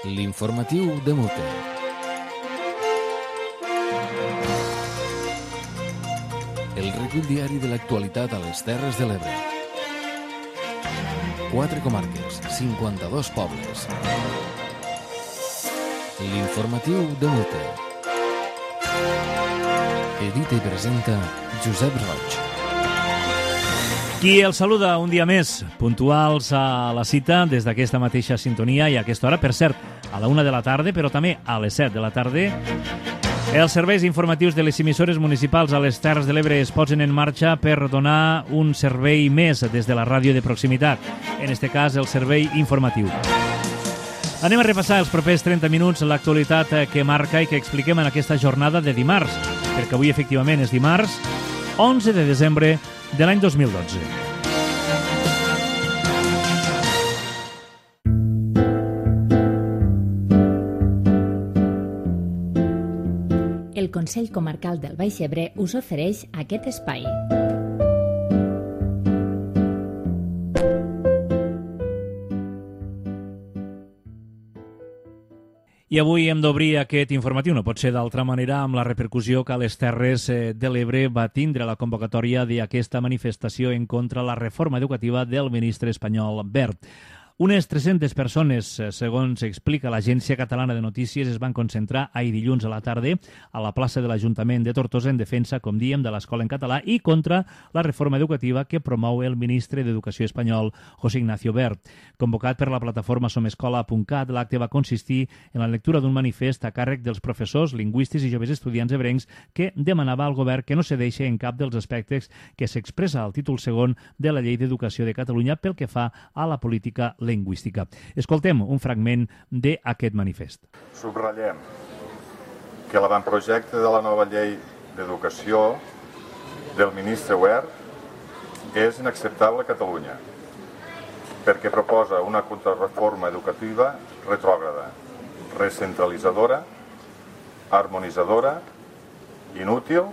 L'informatiu de Mute. El recull diari de l'actualitat a les Terres de l'Ebre. 4 comarques, 52 pobles. L'informatiu de Mute. Edita i presenta Josep Roig. Qui els saluda un dia més, puntuals a la cita des d'aquesta mateixa sintonia i a aquesta hora, per cert, a la 1 de la tarda, però també a les 7 de la tarda. Els serveis informatius de les emissores municipals a les Terres de l'Ebre es posen en marxa per donar un servei més des de la ràdio de proximitat, en este cas el servei informatiu. Anem a repassar els propers 30 minuts l'actualitat que marca i que expliquem en aquesta jornada de dimarts, perquè avui efectivament és dimarts, 11 de desembre de l'any 2012. El Consell Comarcal del Baix Ebre us ofereix aquest espai. I avui hem d'obrir aquest informatiu, no pot ser d'altra manera, amb la repercussió que a les Terres de l'Ebre va tindre la convocatòria d'aquesta manifestació en contra la reforma educativa del ministre espanyol Wert. Unes 300 persones, segons explica l'Agència Catalana de Notícies, es van concentrar ahir dilluns a la tarda a la plaça de l'Ajuntament de Tortosa en defensa, com diem, de l'escola en català i contra la reforma educativa que promou el ministre d'Educació espanyol, José Ignacio Wert. Convocat per la plataforma somescola.cat, l'acte va consistir en la lectura d'un manifest a càrrec dels professors, lingüistes i joves estudiants ebrencs que demanava al govern que no cedeixi en cap dels aspectes que s'expressa al títol segon de la Llei d'Educació de Catalunya pel que fa a la política lingüística. Escoltem un fragment d'aquest manifest. Subratllem que l'avantprojecte de la nova llei d'educació del ministre Wert és inacceptable a Catalunya perquè proposa una contrarreforma educativa retrògrada, recentralitzadora, harmonitzadora, inútil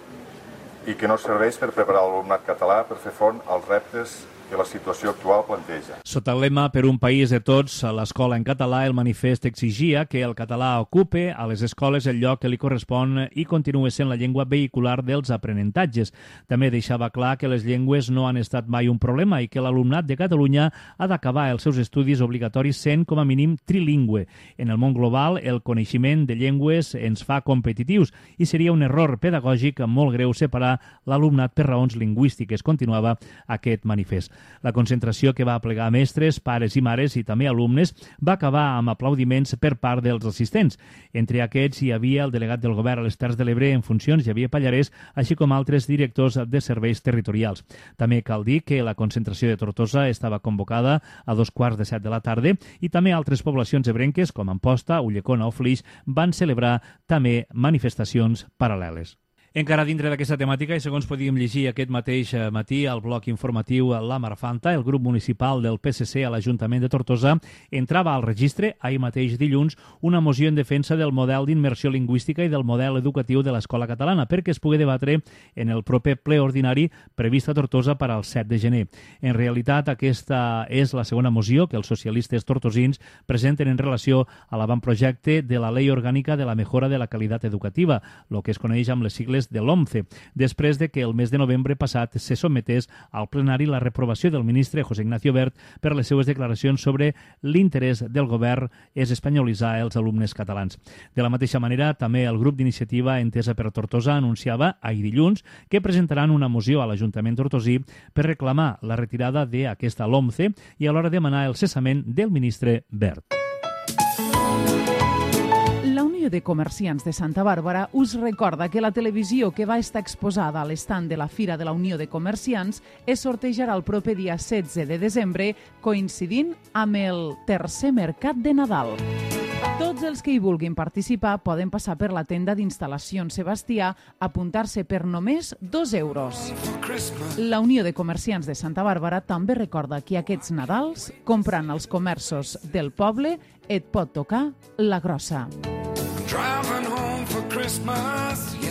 i que no serveix per preparar l'alumnat català per fer front als reptes que la situació actual planteja. Sota el lema Per un país de tots, a l'escola en català, el manifest exigia que el català ocupe a les escoles el lloc que li correspon i continua sent la llengua vehicular dels aprenentatges. També deixava clar que les llengües no han estat mai un problema i que l'alumnat de Catalunya ha d'acabar els seus estudis obligatoris sent com a mínim trilingüe. En el món global, el coneixement de llengües ens fa competitius i seria un error pedagògic molt greu separar l'alumnat per raons lingüístiques, continuava aquest manifest. La concentració, que va aplegar mestres, pares i mares i també alumnes, va acabar amb aplaudiments per part dels assistents. Entre aquests hi havia el delegat del govern a les Terres de l'Ebre en funcions, Xavier Pallarès, així com altres directors de serveis territorials. També cal dir que la concentració de Tortosa estava convocada a 2:15 de la tarda i també altres poblacions ebrenques, com Amposta, Ulldecona o Flix, van celebrar també manifestacions paral·leles. Encara dintre d'aquesta temàtica, i segons podíem llegir aquest mateix matí al bloc informatiu La Marfanta, el grup municipal del PSC a l'Ajuntament de Tortosa entrava al registre, ahir mateix dilluns, una moció en defensa del model d'immersió lingüística i del model educatiu de l'escola catalana perquè es pugui debatre en el proper ple ordinari previst a Tortosa per al 7 de gener. En realitat, aquesta és la segona moció que els socialistes tortosins presenten en relació a l'avantprojecte de la Llei Orgànica de la Mejora de la Qualitat Educativa, el que es coneix amb les sigles de l'OMCE, després de que el mes de novembre passat se sotmetés al plenari la reprovació del ministre José Ignacio Wert per les seues declaracions sobre l'interès del govern és espanyolitzar els alumnes catalans. De la mateixa manera, també el grup d'iniciativa Entesa per Tortosa anunciava ahir dilluns que presentaran una moció a l'Ajuntament tortosí per reclamar la retirada d'aquesta LOMCE i alhora demanar el cessament del ministre Wert. La Unió de Comerciants de Santa Bàrbara us recorda que la televisió que va estar exposada a l'estand de la Fira de la Unió de Comerciants es sortejarà el proper dia 16 de desembre, coincidint amb el tercer mercat de Nadal. Tots els que hi vulguin participar poden passar per la tenda d'instal·lacions Sebastià, apuntar-se per només 2 euros. La Unió de Comerciants de Santa Bàrbara també recorda que aquests Nadals, comprant als comerços del poble, et pot tocar la grossa. Driving home for Christmas, yeah.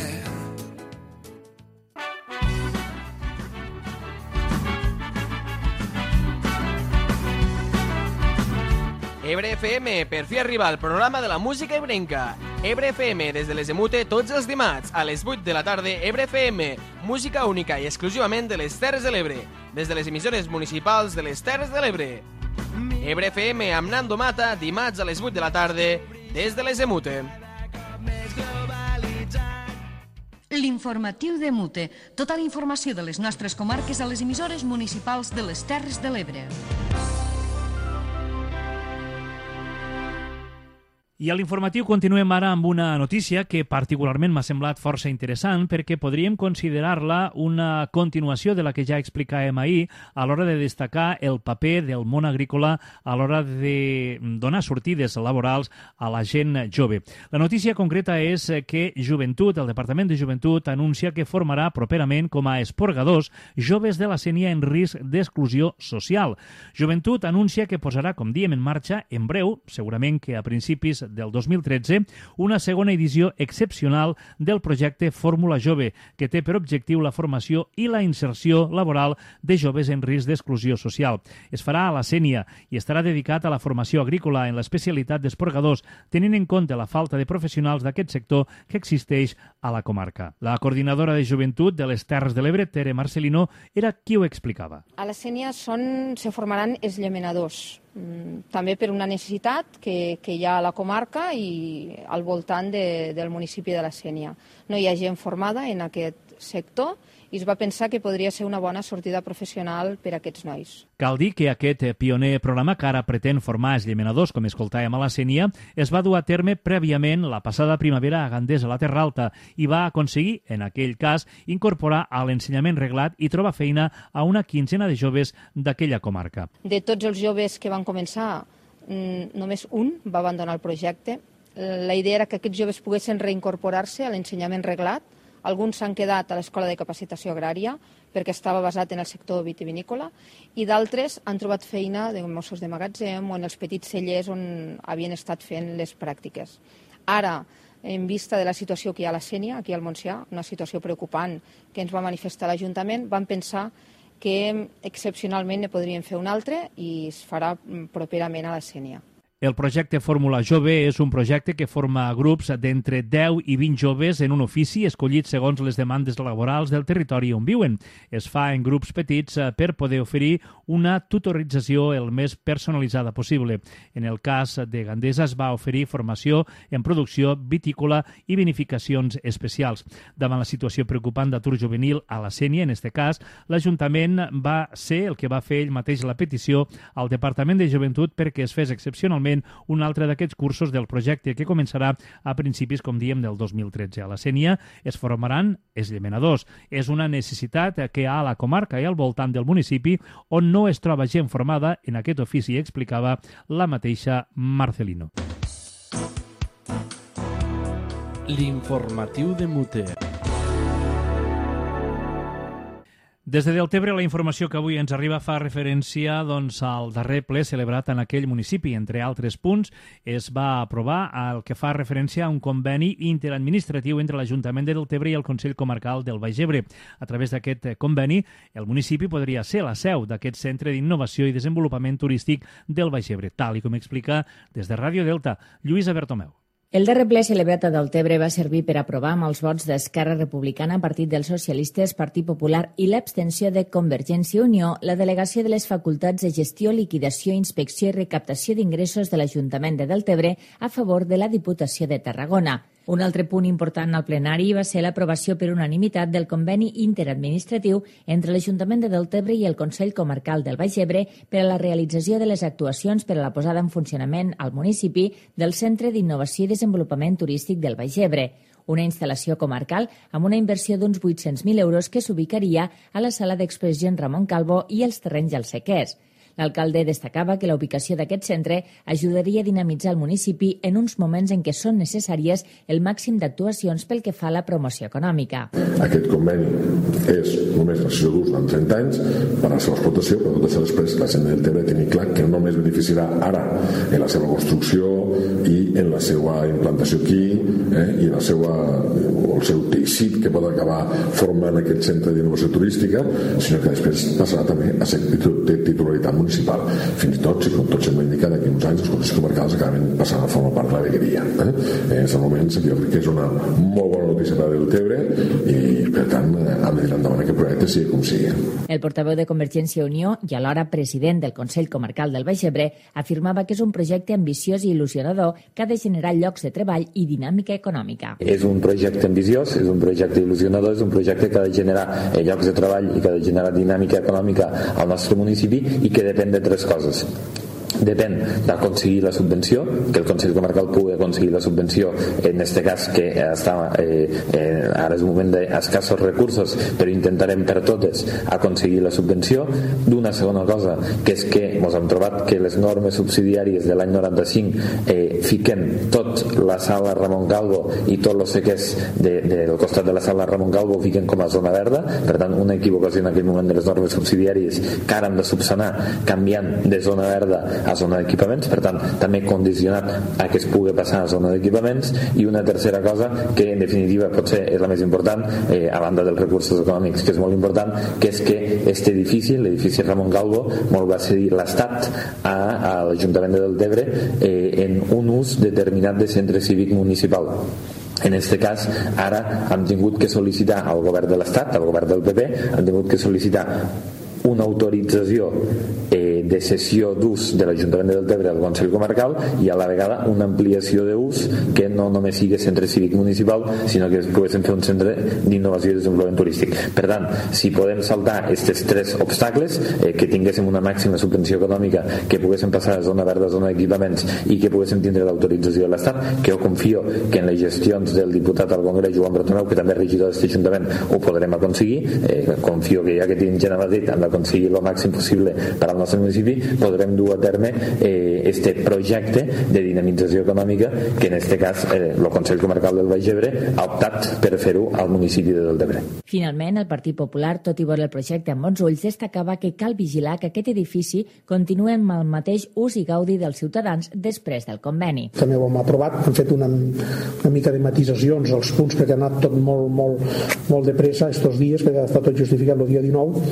Ebre FM, per fi arriba el programa de la música ebrenca. Ebre FM, des de les Emute, tots els dimarts, a les 8 de la tarda, Ebre FM, música única i exclusivament de les Terres de l'Ebre, des de les emissores municipals de les Terres de l'Ebre. Ebre FM amb Nando Mata, dimarts a les 8 de la tarda, des de les Emute. L'informatiu de Mute. Tota la informació de les nostres comarques a les emissores municipals de les Terres de l'Ebre. I a l'informatiu continuem ara amb una notícia que particularment m'ha semblat força interessant perquè podríem considerar-la una continuació de la que ja explicàvem ahir a l'hora de destacar el paper del món agrícola a l'hora de donar sortides laborals a la gent jove. La notícia concreta és que Joventut, el Departament de Joventut, anuncia que formarà properament com a esporgadors joves de la Sénia en risc d'exclusió social. Joventut anuncia que posarà, com diem, en marxa en breu, segurament que a principis del 2013, una segona edició excepcional del projecte Fórmula Jove, que té per objectiu la formació i la inserció laboral de joves en risc d'exclusió social. Es farà a la Sénia i estarà dedicat a la formació agrícola en l'especialitat d'esporgadors, tenint en compte la falta de professionals d'aquest sector que existeix a la comarca. La coordinadora de Joventut de les Terres de l'Ebre, Tere Marcelino, era qui ho explicava. A la Sénia se formaran els llaminadors, també per una necessitat que hi ha a la comarca i al voltant del municipi de la Sénia. No hi ha gent formada en aquest sector i es va pensar que podria ser una bona sortida professional per a aquests nois. Cal dir que aquest pioner programa que ara pretén formar els llaminadors, com escoltàvem a la Sénia, es va dur a terme prèviament la passada primavera a Gandés, a la Terra Alta, i va aconseguir, en aquell cas, incorporar a l'ensenyament reglat i trobar feina a una quinzena de joves d'aquella comarca. De tots els joves que van començar, només un va abandonar el projecte. La idea era que aquests joves poguessin reincorporar-se a l'ensenyament reglat. Alguns s'han quedat a l'Escola de Capacitació Agrària perquè estava basat en el sector vitivinícola i d'altres han trobat feina de mossos de magatzem o en els petits cellers on havien estat fent les pràctiques. Ara, en vista de la situació que hi ha a la Sénia, aquí al Montsià, una situació preocupant que ens va manifestar l'Ajuntament, vam pensar que excepcionalment ne podríem fer un altre i es farà properament a la Sénia. El projecte Fórmula Jove és un projecte que forma grups d'entre 10 i 20 joves en un ofici escollit segons les demandes laborals del territori on viuen. Es fa en grups petits per poder oferir una tutorització el més personalitzada possible. En el cas de Gandesa es va oferir formació en producció vitícola i vinificacions especials. Davant la situació preocupant d'atur juvenil a la Sénia, en aquest cas, l'Ajuntament va ser el que va fer ell mateix la petició al Departament de Joventut perquè es fes excepcionalment un altre d'aquests cursos del projecte que començarà a principis, com diem, del 2013. A la Sénia es formaran els llaminadors. És una necessitat que hi ha a la comarca i al voltant del municipi on no es troba gent formada en aquest ofici, explicava la mateixa Marcelino. L'informatiu de Mute. Des de Deltebre, la informació que avui ens arriba fa referència al darrer ple celebrat en aquell municipi. Entre altres punts, es va aprovar el que fa referència a un conveni interadministratiu entre l'Ajuntament de Deltebre i el Consell Comarcal del Baix Ebre. A través d'aquest conveni, el municipi podria ser la seu d'aquest centre d'innovació i desenvolupament turístic del Baix Ebre, tal i com explica des de Ràdio Delta, Lluïsa Bertomeu. El darrer ple celebrat a Deltebre va servir per aprovar amb els vots d'Esquerra Republicana, Partit dels Socialistes, Partit Popular i l'abstenció de Convergència i Unió la delegació de les facultats de gestió, liquidació, inspecció i recaptació d'ingressos de l'Ajuntament de Deltebre a favor de la Diputació de Tarragona. Un altre punt important al plenari va ser l'aprovació per unanimitat del conveni interadministratiu entre l'Ajuntament de Deltebre i el Consell Comarcal del Baix Ebre per a la realització de les actuacions per a la posada en funcionament al municipi del Centre d'Innovació i Desenvolupament Turístic del Baix Ebre, una instal·lació comarcal amb una inversió d'uns 800.000 euros que s'ubicaria a la sala d'exposicions Ramon Calvo i els terrenys al Sequers. L'alcalde destacava que la ubicació d'aquest centre ajudaria a dinamitzar el municipi en uns moments en què són necessàries el màxim d'actuacions pel que fa a la promoció econòmica. Aquest conveni és només la sessió d'ús durant 30 anys per a la seva explotació, però tot això després la gent de Deltebre tingui clar que no només beneficiarà ara en la seva construcció i en la seva implantació aquí i en el seu teixit que pot acabar formant aquest centre d'innovació turística, sinó que després passarà també a ser de titularitat municipal. Fins i tot, si com tots hem indicat, d'aquí uns anys els consells comarcals acaben passant a formar part de la vegueria. En aquest moment jo crec que és una molt bona notícia per a Deltebre i, per tant, hem de tirar endavant aquest projecte sigui com sigui. El portaveu de Convergència i Unió i alhora president del Consell Comarcal del Baix Ebre afirmava que és un projecte ambiciós i il·lusionador que ha de generar llocs de treball i dinàmica econòmica. És un projecte ambiciós, és un projecte il·lusionador, és un projecte que ha de generar llocs de treball i que ha de generar dinàmica econòmica al nostre municipi i que depèn de tres coses. Depèn d'aconseguir la subvenció, que el Consell Comarcal pugui aconseguir la subvenció, en aquest cas que està ara és un moment d'escassos recursos, però intentarem per totes aconseguir la subvenció. D'una segona cosa, que és que ens hem trobat que les normes subsidiàries de l'any 95 fiquen tot la sala Ramon Calvo i tot el sequers del costat de la sala Ramon Calvo fiquen com a zona verda, per tant una equivocació en aquell moment de les normes subsidiàries que ara hem de subsanar canviant de zona verda a zona d'equipaments, per tant també condicionat a que es pugui passar a zona d'equipaments. I una tercera cosa que en definitiva potser és la més important, a banda dels recursos econòmics, que és molt important, que és que aquest edifici, l'edifici Ramon Calvo, molt va cedir l'Estat a l'Ajuntament de Deltebre en un ús determinat de centre cívic municipal. En aquest cas, ara hem tingut que sol·licitar al govern de l'Estat, al govern del PP, hem tingut que sol·licitar una autorització de cessió d'ús de l'Ajuntament de Deltebre al Consell Comarcal i a la vegada una ampliació d'ús que no només sigui centre cívic municipal, sinó que poguéssim fer un centre d'innovació i desenvolupament turístic. Per tant, si podem saltar aquests tres obstacles, que tinguéssim una màxima subvenció econòmica, que poguéssim passar a zona verda, a zona d'equipaments i que poguéssim tindre l'autorització de l'Estat, que jo confio que en les gestions del diputat al Congrés, Joan Bertomeu, que també és regidor d'aquest Ajuntament, ho podrem aconseguir. Confio que ja que tenim gent a Madrid hem d'aconseguir el màxim possible per al nostre municipi, podrem dur a terme este projecte de dinamització econòmica que en aquest cas el Consell Comarcal del Baix Ebre ha optat per fer-ho al municipi de Deltebre. Finalment, el Partit Popular, tot i veure el projecte amb bons ulls, destacava que cal vigilar que aquest edifici continuï amb el mateix ús i gaudi dels ciutadans després del conveni. També ho hem aprovat, hem fet una mica de matisacions als punts perquè ha anat tot molt de pressa estos dies, perquè ha estat tot justificat el dia 19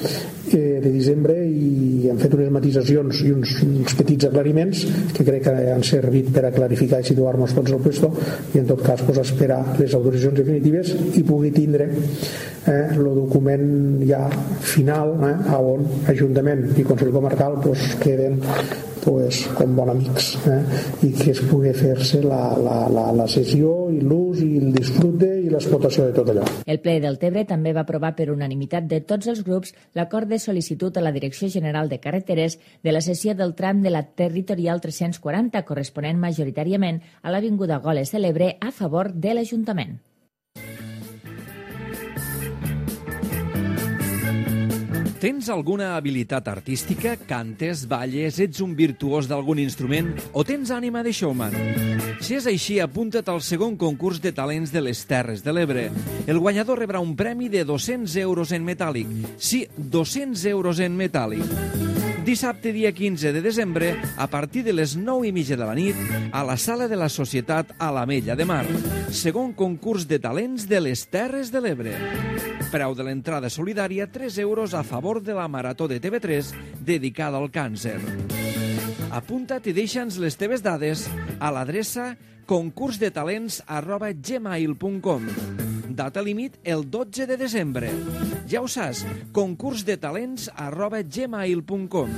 de desembre i hem fet unes matisacions i uns petits aclariments que crec que han servit per a clarificar i situar-nos tots al puesto i en tot cas esperar les autoritzacions definitives i pugui tindre el document ja final on Ajuntament i Consell Comarcal queden com bons amics i que es pugui fer-se la sessió i l'ús i el disfrute i l'explotació de tot allò. El ple del Deltebre també va aprovar per unanimitat de tots els grups l'acord de sol·licitud a la Direcció General de Carreteres de la cessió del tram de la Territorial 340 corresponent majoritàriament a l'Avinguda Goles de l'Ebre a favor de l'Ajuntament. Tens alguna habilitat artística? Cantes, balles, ets un virtuós d'algun instrument o tens ànima de showman? Si és així, apunta't al segon concurs de talents de les Terres de l'Ebre. El guanyador rebrà un premi de 200 euros en metàl·lic. Sí, 200 euros en metàl·lic. Dissabte, dia 15 de desembre, a partir de les 9:30 de la nit, a la Sala de la Societat a l'Ametlla de Mar. Segon concurs de talents de les Terres de l'Ebre. Preu de l'entrada solidària, 3 euros a favor de la Marató de TV3 dedicada al càncer. Apunta't i deixa'ns les teves dades a l'adreça concursdetalents@gmail.com. Data límit el 12 de desembre. Ja ho saps, concursdetalents@gmail.com.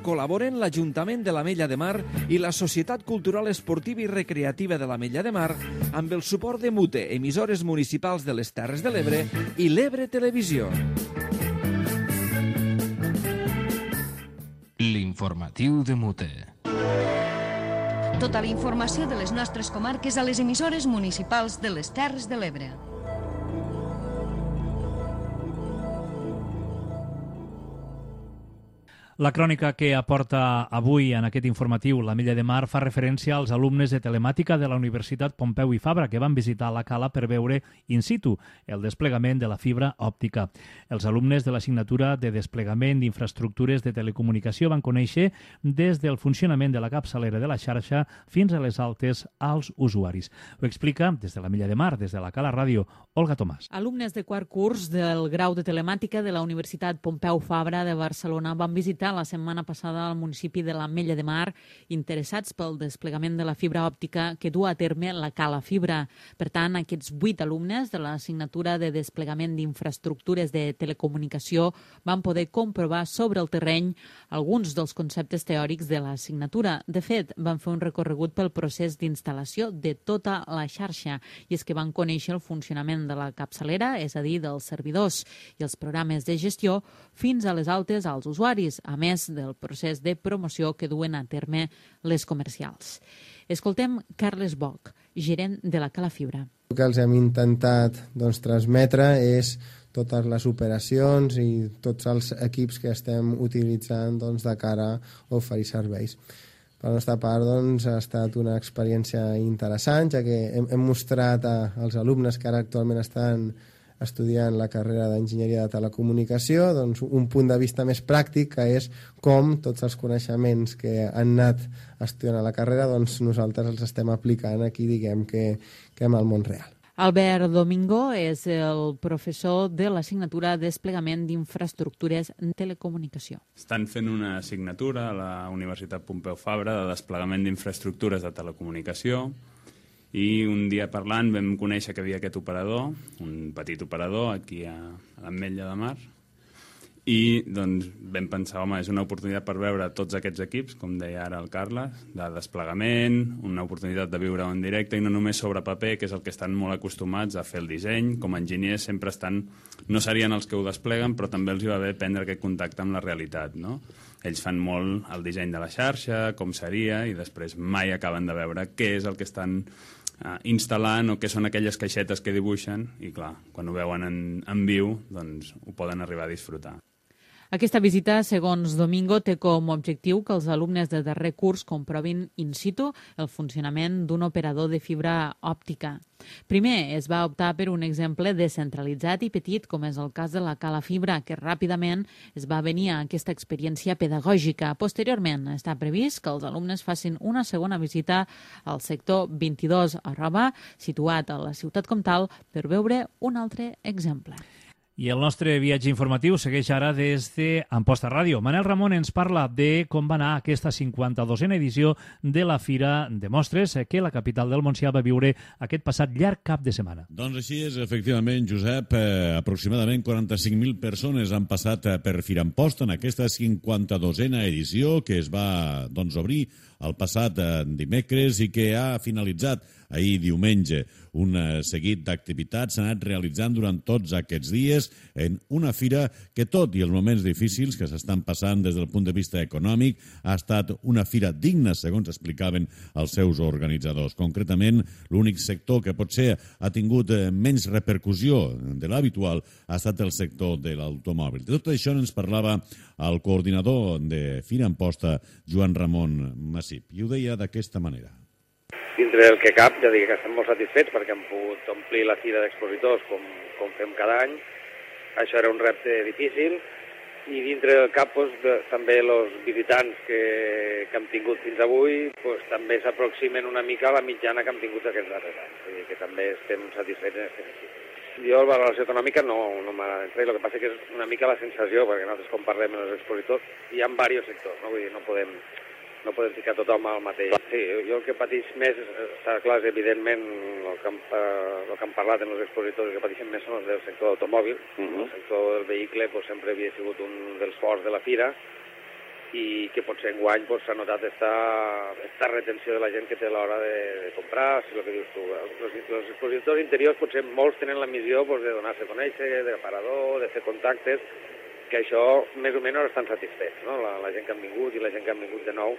Col·laboren l'Ajuntament de l'Ametlla de Mar i la Societat Cultural Esportiva i Recreativa de l'Ametlla de Mar amb el suport de MUTE, emissores municipals de les Terres de l'Ebre i l'Ebre Televisió. L'informatiu de MUTE. Tota la informació de les nostres comarques a les emissores municipals de les Terres de l'Ebre. La crònica que aporta avui en aquest informatiu l'Ametlla de Mar fa referència als alumnes de telemàtica de la Universitat Pompeu i Fabra que van visitar la cala per veure in situ el desplegament de la fibra òptica. Els alumnes de l'assignatura de desplegament d'infraestructures de telecomunicació van conèixer des del funcionament de la capçalera de la xarxa fins a les altes als usuaris. Ho explica des de l'Ametlla de Mar, des de la Cala Ràdio, Olga Tomàs. Alumnes de quart curs del grau de telemàtica de la Universitat Pompeu Fabra de Barcelona van visitar visitar la setmana passada al municipi de l'Ametlla de Mar, interessats pel desplegament de la fibra òptica que du a terme la Cala Fibra. Per tant, aquests 8 alumnes de l'assignatura de desplegament d'infraestructures de telecomunicació van poder comprovar sobre el terreny alguns dels conceptes teòrics de l'assignatura. De fet, van fer un recorregut pel procés d'instal·lació de tota la xarxa, i és que van conèixer el funcionament de la capçalera, és a dir, dels servidors i els programes de gestió, fins a les altes als usuaris, a més del procés de promoció que duen a terme les comercials. Escoltem Carles Boc, gerent de la Cala Fibra. El que els hem intentat transmetre és totes les operacions i tots els equips que estem utilitzant de cara a oferir serveis. Per la nostra part, ha estat una experiència interessant, ja que hem mostrat als alumnes que ara actualment estan estudiant la carrera d'Enginyeria de Telecomunicació un punt de vista més pràctic, que és com tots els coneixements que han anat estudiant a la carrera nosaltres els estem aplicant aquí, diguem que en el món real. Albert Domingo és el professor de l'assignatura Desplegament d'Infraestructures en Telecomunicació. Estan fent una assignatura a la Universitat Pompeu Fabra de desplegament d'infraestructures de telecomunicació, i un dia parlant vam conèixer que havia aquest operador, un petit operador aquí a l'Ametlla de Mar, i vam pensar, home, és una oportunitat per veure tots aquests equips, com deia ara el Carles, de desplegament, una oportunitat de viure en directe i no només sobre paper, que és el que estan molt acostumats a fer el disseny. Com a enginyers sempre no serien els que ho despleguen, però també els hi va bé prendre aquest contacte amb la realitat, no? Ells fan molt el disseny de la xarxa, com seria, i després mai acaben de veure què és el que estan instal·lant o què són aquelles caixetes que dibuixen, i clar, quan ho veuen en viu, doncs ho poden arribar a disfrutar. Aquesta visita, segons Domingo, té com a objectiu que els alumnes de darrer curs comprovin in situ el funcionament d'un operador de fibra òptica. Primer, es va optar per un exemple descentralitzat i petit, com és el cas de la Cala Fibra, que ràpidament es va venir a aquesta experiència pedagògica. Posteriorment, està previst que els alumnes facin una segona visita al sector 22 a Roba, situat a la ciutat comtal, per veure un altre exemple. I el nostre viatge informatiu segueix ara des d'Amposta Ràdio. Manel Ramon ens parla de com va anar aquesta 52a edició de la Fira de Mostres que la capital del Montsià va viure aquest passat llarg cap de setmana. Doncs així és, efectivament, Josep. Aproximadament 45.000 persones han passat per Fira Amposta en aquesta 52a edició que es va obrir el passat dimecres i que ha finalitzat ahir diumenge. Un seguit d'activitats s'ha anat realitzant durant tots aquests dies en una fira que, tot i els moments difícils que s'estan passant des del punt de vista econòmic, ha estat una fira digna, segons explicaven els seus organitzadors. Concretament, l'únic sector que potser ha tingut menys repercussió de l'habitual ha estat el sector de l'automòbil. De tot això ens parlava el coordinador de Fira Amposta, Joan Ramon Massip, i ho deia d'aquesta manera. Dintre del que cap, ja dic que estem molt satisfets perquè hem pogut omplir la fira d'expositors com fem cada any. Això era un repte difícil i dintre del cap també els visitants que hem tingut fins avui també s'aproximen una mica a la mitjana que hem tingut aquests darrers anys. Vull dir que també estem satisfets en aquest sentit. Jo la valoració econòmica no m'agrada entrar, el que passa que és una mica la sensació, perquè nosaltres com parlem amb els expositors, hi ha diversos sectors, no? Vull dir, no podem ficar tothom al mateix. Sí, jo el que pateix més, està clar, és evidentment el que han parlat en els expositors, que pateixen més són els del sector d'automòbil. El sector del vehicle sempre havia sigut un dels forts de la fira i que potser enguany s'ha notat aquesta retenció de la gent que té a l'hora de comprar, si el que dius tu. Els expositors interiors potser molts tenen la missió de donar-se a conèixer, d'aparador, de fer contactes, que això més o menys estan satisfets, no? La gent que han vingut i la gent que han vingut de nou,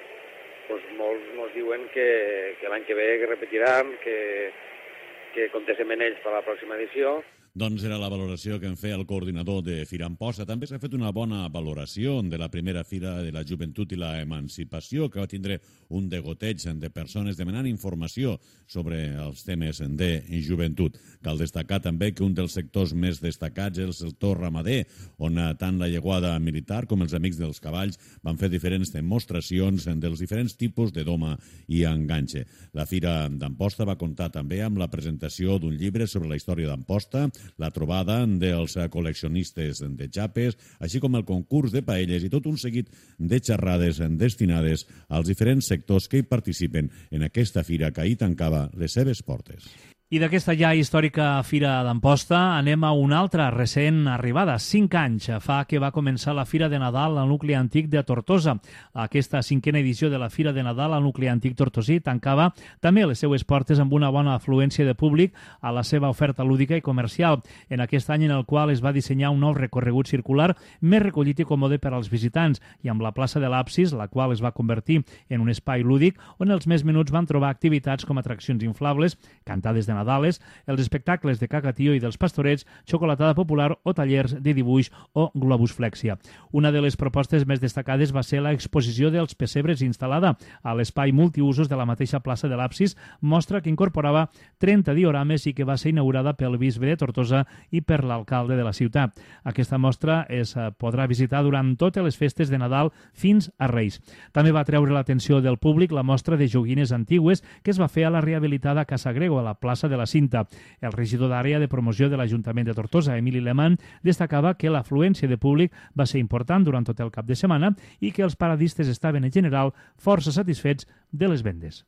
molts ens diuen que l'any que ve que repetiran, que comptéssim en ells per a la pròxima edició. Doncs era la valoració que en feia el coordinador de Fira Amposta. També s'ha fet una bona valoració de la primera Fira de la Joventut i la Emancipació, que va tindre un degoteig de persones demanant informació sobre els temes de joventut. Cal destacar també que un dels sectors més destacats és el sector ramader, on tant la Lleguada Militar com els Amics dels Cavalls van fer diferents demostracions dels diferents tipus de doma i enganxe. La Fira d'Amposta va comptar també amb la presentació d'un llibre sobre la història d'Amposta, la trobada dels col·leccionistes de xapes, així com el concurs de paelles i tot un seguit de xerrades destinades als diferents sectors que hi participen en aquesta fira que ahir tancava les seves portes. I d'aquesta ja històrica Fira d'Amposta anem a una altra recent arribada. 5 anys fa que va començar la Fira de Nadal al nucli antic de Tortosa. Aquesta 5a edició de la Fira de Nadal al nucli antic tortosí tancava també les seues portes amb una bona afluència de públic a la seva oferta lúdica i comercial. En aquest any en el qual es va dissenyar un nou recorregut circular més recollit i còmode per als visitants i amb la plaça de l'Absis, la qual es va convertir en un espai lúdic on els més menuts van trobar activitats com atraccions inflables, cantades de Nadales, els espectacles de cacatío i dels pastorets, xocolatada popular o tallers de dibuix o globus flexia. Una de les propostes més destacades va ser l'exposició dels pessebres instal·lada a l'espai multiusos de la mateixa plaça de l'Absis, mostra que incorporava 30 diorames i que va ser inaugurada pel bisbe de Tortosa i per l'alcalde de la ciutat. Aquesta mostra es podrà visitar durant totes les festes de Nadal fins a Reis. També va treure l'atenció del públic la mostra de joguines antigues que es va fer a la rehabilitada Casa Grego, a la plaça de la Cinta. El regidor d'àrea de promoció de l'Ajuntament de Tortosa, Emili Lehmann, destacava que l'afluència de públic va ser important durant tot el cap de setmana i que els paradistes estaven en general força satisfets de les vendes.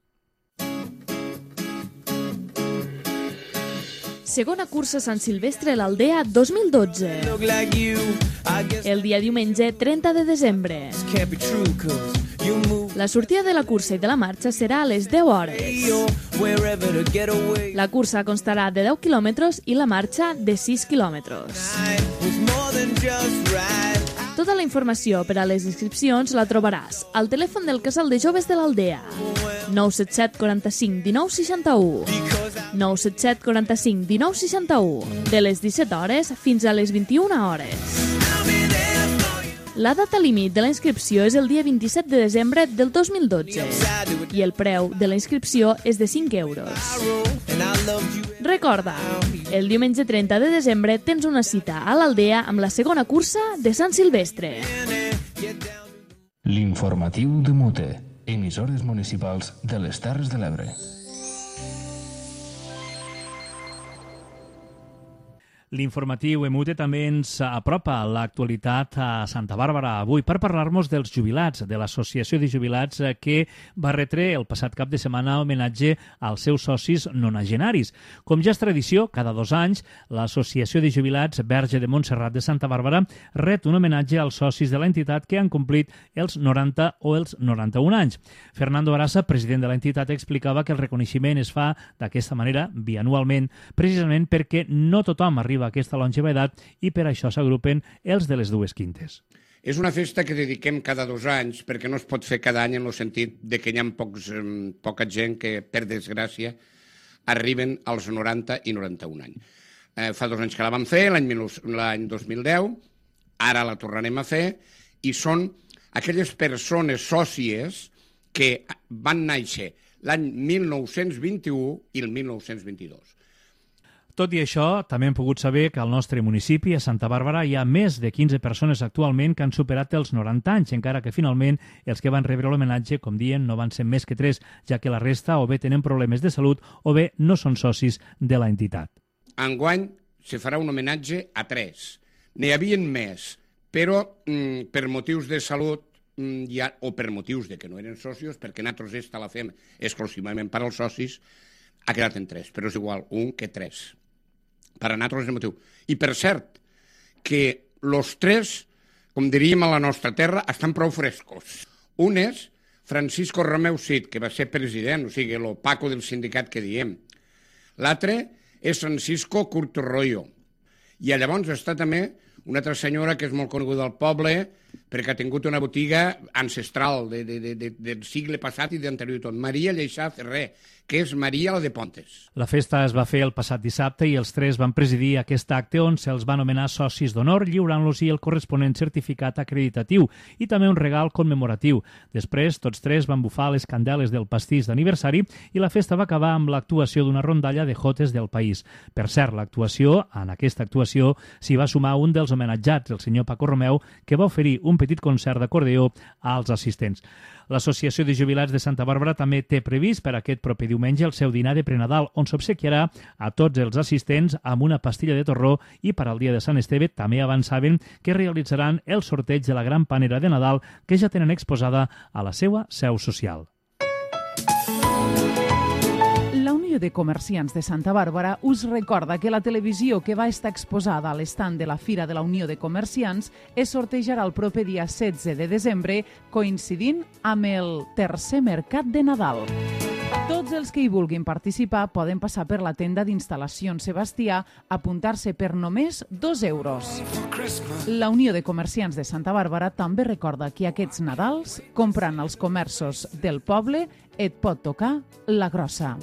Segona cursa Sant Silvestre a l'Aldea 2012. El dia diumenge 30 de desembre. La sortida de la cursa i de la marxa serà a les 10 hores. La cursa constarà de 10 quilòmetres i la marxa de 6 quilòmetres. Tota la informació per a les inscripcions la trobaràs al telèfon del Casal de Joves de l'Aldea 977 45 19 61 977 45 19 61 de les 17 hores fins a les 21 hores. La data límit de la inscripció és el dia 27 de desembre del 2012 i el preu de la inscripció és de 5 euros. Recorda, el diumenge 30 de desembre tens una cita a l'Aldea amb la segona cursa de Sant Silvestre. L'informatiu de Mute, emissores municipals de les Terres de l'Ebre. L'informatiu EMUTE també ens apropa l'actualitat a Santa Bàrbara avui per parlar-nos dels jubilats, de l'Associació de Jubilats que va retre el passat cap de setmana homenatge als seus socis nonagenaris. Com ja és tradició, cada 2 anys, l'Associació de Jubilats Verge de Montserrat de Santa Bàrbara ret un homenatge als socis de l'entitat que han complit els 90 o els 91 anys. Fernando Arasa, president de l'entitat, explicava que el reconeixement es fa d'aquesta manera, bianualment, precisament perquè no tothom arriba a aquesta longevitat i per això s'agrupen els de les dues quintes. És una festa que dediquem cada 2 anys perquè no es pot fer cada any en el sentit de que hi ha poca gent que, per desgràcia, arriben als 90 i 91 anys. Fa 2 anys que la vam fer, l'any 2010, ara la tornarem a fer, i són aquelles persones sòcies que van néixer l'any 1921 i el 1922. Tot i això, també hem pogut saber que al nostre municipi, a Santa Bàrbara, hi ha més de 15 persones actualment que han superat els 90 anys, encara que finalment els que van rebre l'homenatge, com dient, no van ser més que 3, ja que la resta o bé tenen problemes de salut o bé no són socis de la entitat. Enguany se farà un homenatge a 3. N'hi havia més, però per motius de salut o per motius de que no eren socis, perquè nosaltres esta la fem exclusivament per als socis, ha quedat en 3, però és igual 1 que 3. Per a nosaltres és el motiu. I per cert, que els 3, com diríem a la nostra terra, estan prou frescos. Un és Francisco Romeu Cid, que va ser president, o sigui, el Paco del sindicat que diem. L'altre és Francisco Curto Royo. I llavors està també una altra senyora que és molt coneguda al poble perquè ha tingut una botiga ancestral del segle passat i d'anterior tot. Maria Lleixà Ferrer, que és Maria la de Pontes. La festa es va fer el passat dissabte i els 3 van presidir aquest acte on se'ls van anomenar socis d'honor, lliurant-los el corresponent certificat acreditatiu i també un regal commemoratiu. Després, tots 3 van bufar les candeles del pastís d'aniversari i la festa va acabar amb l'actuació d'una rondalla de jotes del país. Per cert, en aquesta actuació s'hi va sumar un dels homenatjats, el senyor Paco Romeu, que va oferir un petit concert d'acordeó als assistents. L'Associació de Jubilats de Santa Bàrbara també té previst per aquest proper diumenge el seu dinar de prenadal, on s'obsequiarà a tots els assistents amb una pastilla de torró, i per al dia de Sant Esteve també avançaven que realitzaran el sorteig de la gran panera de Nadal que ja tenen exposada a la seva seu social. La Unió de Comerciants de Santa Bàrbara us recorda que la televisió que va estar exposada a l'estand de la Fira de la Unió de Comerciants es sortejarà el proper dia 16 de desembre, coincidint amb el tercer mercat de Nadal. Tots els que hi vulguin participar poden passar per la tenda d'instal·lacions Sebastià, apuntar-se per només 2 euros. La Unió de Comerciants de Santa Bàrbara també recorda que aquests Nadals, comprant als comerços del poble, et pot tocar la grossa.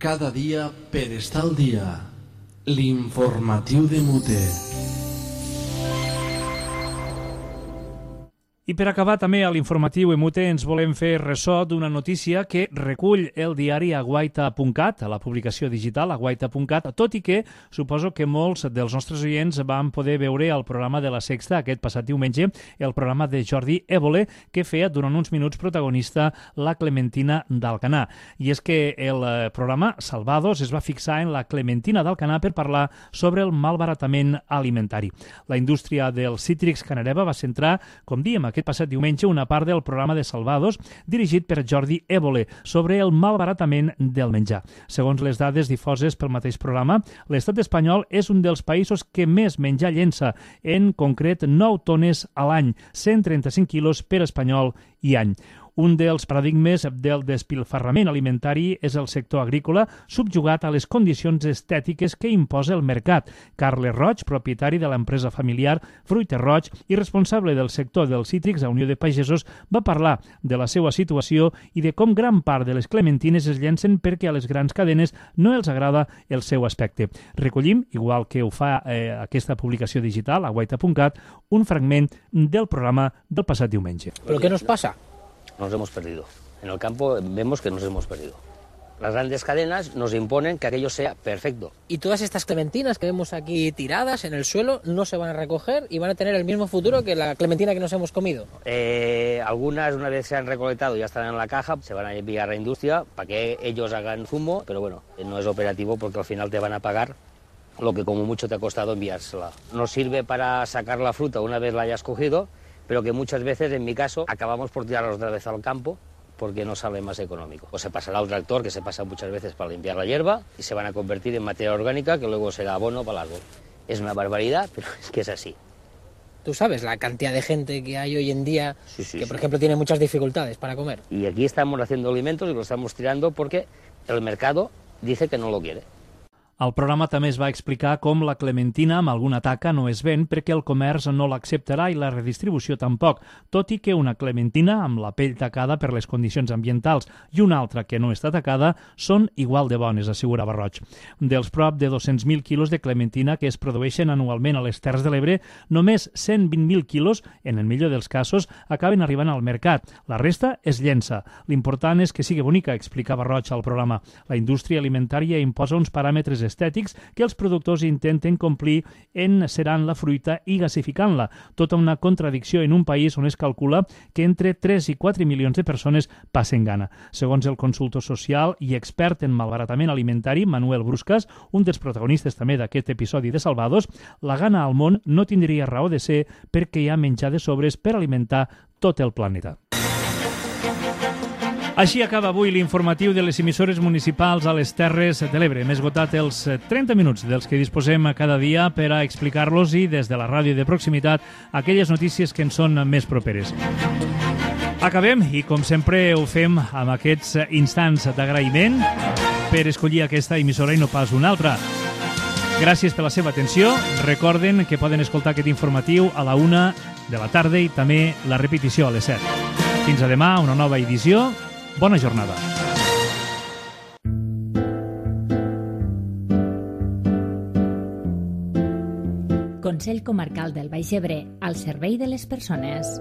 Cada dia per estar al dia. L'informatiu de Mute. I per acabar també a l'informatiu Emute ens volem fer ressò d'una notícia que recull el diari aguaita.cat, a la publicació digital aguaita.cat, tot i que suposo que molts dels nostres oients van poder veure al programa de La Sexta aquest passat diumenge, el programa de Jordi Évole, que feia durant uns minuts protagonista la Clementina d'Alcanar. I és que el programa Salvados es va fixar en la Clementina d'Alcanar per parlar sobre el malbaratament alimentari. La indústria dels cítrics Canareva va centrar, com diem, aquest passat diumenge una part del programa de Salvados dirigit per Jordi Évole sobre el malbaratament del menjar. Segons les dades difoses pel mateix programa, l'estat espanyol és un dels països que més menjar llença, en concret 9 tones a l'any, 135 quilos per espanyol i any. Un dels paradigmes del despilfarrament alimentari és el sector agrícola, subjugat a les condicions estètiques que imposa el mercat. Carles Roig, propietari de l'empresa familiar Fruiter Roig i responsable del sector dels cítrics a Unió de Pagesos, va parlar de la seva situació i de com gran part de les clementines es llencen perquè a les grans cadenes no els agrada el seu aspecte. Recollim, igual que ho fa aquesta publicació digital, aguaita.cat, un fragment del programa del passat diumenge. ¿Pero qué nos pasa? Nos hemos perdido. En el campo vemos que nos hemos perdido. Las grandes cadenas nos imponen que aquello sea perfecto. Y todas estas clementinas que vemos aquí tiradas en el suelo no se van a recoger y van a tener el mismo futuro que la clementina que nos hemos comido. Algunas, una vez se han recolectado, ya están en la caja, se van a enviar a la industria para que ellos hagan zumo, pero bueno, no es operativo porque al final te van a pagar lo que como mucho te ha costado enviársela. Nos sirve para sacar la fruta una vez la hayas cogido, pero que muchas veces, en mi caso, acabamos por tirarlos otra vez al campo porque no sale más económico. O se pasará al tractor, que se pasa muchas veces para limpiar la hierba, y se van a convertir en materia orgánica que luego será abono para el árbol. Es una barbaridad, pero es que es así. Tú sabes la cantidad de gente que hay hoy en día que, por ejemplo, tiene muchas dificultades para comer. Y aquí estamos haciendo alimentos y lo estamos tirando porque el mercado dice que no lo quiere. Al programa també es va explicar com la clementina amb alguna taca no es ven perquè el comerç no l'acceptarà i la redistribució tampoc, tot i que una clementina amb la pell tacada per les condicions ambientals i una altra que no està tacada són igual de bones, assegurava Roig. Dels prop de 200.000 quilos de clementina que es produeixen anualment a les Terres de l'Ebre, només 120.000 quilos, en el millor dels casos, acaben arribant al mercat. La resta es llença. L'important és que sigui bonica, explicava Roig al programa. La indústria alimentària imposa uns paràmetres estètics que els productors intenten complir encerant la fruita i gasificant-la. Tota una contradicció en un país on es calcula que entre 3 i 4 milions de persones passen gana. Segons el consultor social i expert en malbaratament alimentari, Manuel Bruscas, un dels protagonistes també d'aquest episodi de Salvados, la gana al món no tindria raó de ser perquè hi ha menjar de sobres per alimentar tot el planeta. Així acaba avui l'informatiu de les emissores municipals a les Terres de l'Ebre. Hem esgotat els 30 minuts dels que disposem cada dia per a explicar-los i des de la ràdio de proximitat aquelles notícies que ens són més properes. Acabem i, com sempre, ho fem amb aquests instants d'agraïment per escollir aquesta emissora i no pas una altra. Gràcies per la seva atenció. Recorden que poden escoltar aquest informatiu a la 1 de la tarda i també la repetició a les 7. Fins a demà, una nova edició. Bona jornada. Consell Comarcal del Baix Ebre, al servei de les persones.